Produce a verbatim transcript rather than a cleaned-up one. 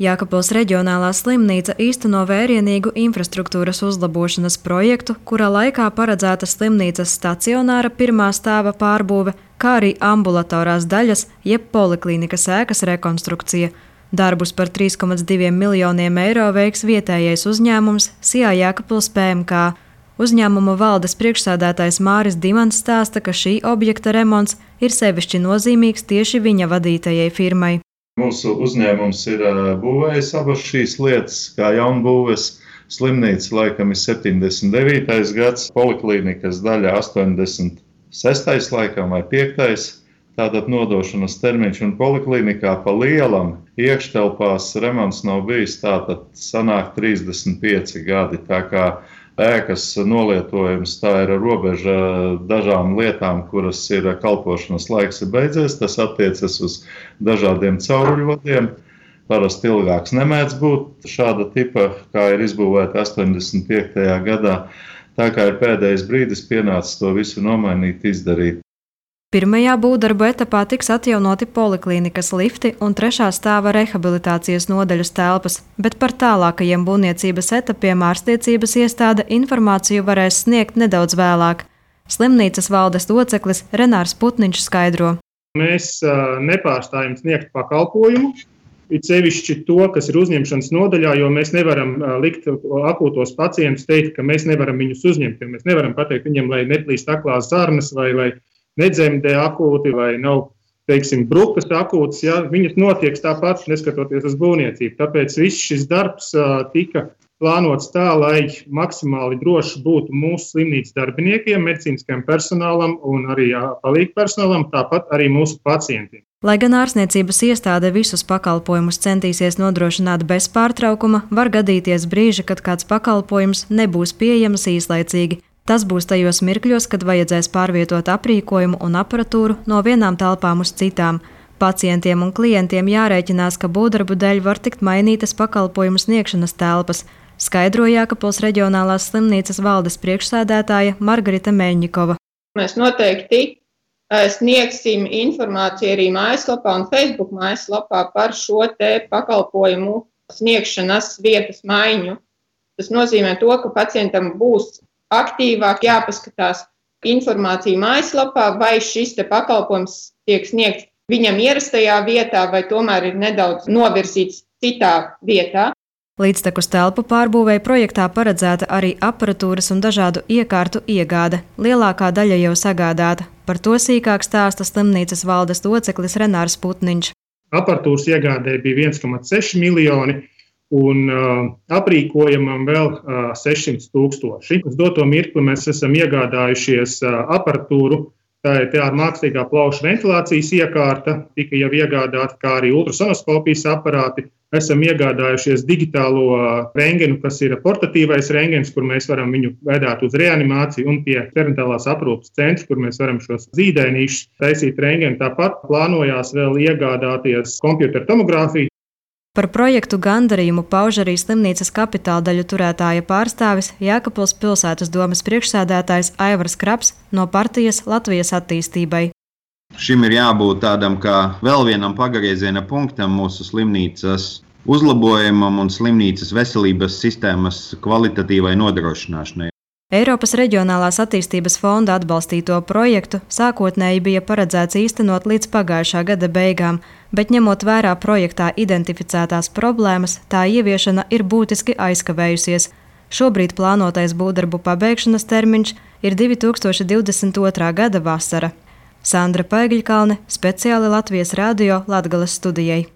Jēkabpils reģionālā slimnīca īsteno vērienīgu infrastruktūras uzlabošanas projektu, kura laikā paredzēta slimnīcas stacionāra pirmā stāva pārbūve, kā arī ambulatorās daļas, jeb poliklīnikas ēkas rekonstrukcija. Darbus par trīs komats diviem miljoniem eiro veiks vietējais uzņēmums Sijā Jēkabpils P M K. Uzņēmuma valdes priekšsēdētājs Māris Dimants stāsta, ka šī objekta remonts ir sevišķi nozīmīgs tieši viņa vadītajai firmai. Mūsu uzņēmums ir būvējis abas šīs lietas, kā jaunbūves slimnīca laikam ir septiņdesmit devītais gads, poliklīnikas daļa astoņdesmit sestais laikam vai piektais Tātad nodošanas termiņš un poliklīnikā pa lielam iekštelpās remonts nav bijis, tātad sanāk trīsdesmit pieci gadi. Tā kā ēkas nolietojums tā ir robeža dažām lietām, kuras ir kalpošanas laiks ir beidzies. Tas attiecas uz dažādiem cauruļvadiem. Parasti ilgāks nemēdz būt šāda tipa, kā ir izbūvēta astoņdesmit piektajā gadā. Tā kā ir pēdējais brīdis pienācis to visu nomainīt, izdarīt. Pirmajā būvdarbu etapā tiks atjaunoti poliklīnikas lifti un trešā stāva rehabilitācijas nodaļas telpas, bet par tālākajiem būvniecības etapiem ārstniecības iestāde informāciju varēs sniegt nedaudz vēlāk. Slimnīcas valdes loceklis Renārs Putniņš skaidro. Mēs uh, nepārstājam sniegt pakalpojumu, it sevišķi to, kas ir uzņemšanas nodaļā, jo mēs nevaram uh, likt akūtos pacientus teikt, ka mēs nevaram viņus uzņemt, jo mēs nevaram pateikt viņam, lai neplīst aklās zarnas vai lai nedzemdē akūti vai nav, teiksim, brukas akūtas, ja, viņas notiek tāpat, neskatoties uz būvniecību. Tāpēc viss šis darbs uh, tika plānots tā, lai maksimāli droši būtu mūsu slimnīcas darbiniekiem, medicīniskajam personālam un arī uh, palīgu personālam, tāpat arī mūsu pacientiem. Lai gan ārstniecības iestāde visus pakalpojumus centīsies nodrošināt bez pārtraukuma, var gadīties brīži, kad kāds pakalpojums nebūs pieejams īslaicīgi. Tas būs tajos mirkļos, kad vajadzēs pārvietot aprīkojumu un aparatūru no vienām telpām uz citām. Pacientiem un klientiem jārēķinās, ka būvdarbu dēļ var tikt mainītas pakalpojumu sniegšanas telpas, skaidro Jēkabpils reģionālās slimnīcas valdes priekšsēdētāja Margarita Meļņikova. Mēs noteikti sniegsim informāciju arī mājaslapā un Facebook mājaslapā par šo te pakalpojumu sniegšanas vietas maiņu. Tas nozīmē to, ka pacientam būs aktīvāk jāpaskatās informācija mājaslapā, vai šis te pakalpojums tiek sniegts viņam ierastajā vietā, vai tomēr ir nedaudz novirzīts citā vietā. Līdztekus telpu pārbūvēja projektā paredzēta arī aparatūras un dažādu iekārtu iegāde. Lielākā daļa jau sagādāta. Par to sīkāk stāsta slimnīcas valdes loceklis Renārs Putniņš. Aparatūras iegādē bija viens komats seši miljoni. Un uh, aprīkojamam vēl uh, sešsimt tūkstoši. Uz doto mirkli mēs esam iegādājušies uh, aparatūru, tā ir tā mākslīgā plaušu ventilācijas iekārta, tika jau iegādāta, kā arī ultrasonoskopijas aparāti. Esam iegādājušies digitālo uh, rengenu, kas ir portatīvais rengens, kur mēs varam viņu vedāt uz reanimāciju, un pie perinetālās aprūpes centra, kur mēs varam šos zīdainīšus taisīt rengenu. Tāpat plānojās vēl iegādāties kompjuteru tomogrāfiju. Par projektu gandarījumu pauž arī slimnīcas kapitāldaļu turētāja pārstāvis Jēkabpils pilsētas domes priekšsēdētājs Aivars Kraps no partijas Latvijas attīstībai. Šim ir jābūt tādam kā vēl vienam pagrieziena punktam mūsu slimnīcas uzlabojumam un slimnīcas veselības sistēmas kvalitatīvai nodrošināšanai. Eiropas reģionālās attīstības fonda atbalstīto projektu sākotnēji bija paredzēts īstenot līdz pagājušā gada beigām, bet ņemot vērā projektā identificētās problēmas, tā ieviešana ir būtiski aizkavējusies. Šobrīd plānotais būvdarbu pabeigšanas termiņš ir divi tūkstoši divdesmit otrā gada vasara. Sandra Paigļkalne, speciāli Latvijas radio Latgales studijai.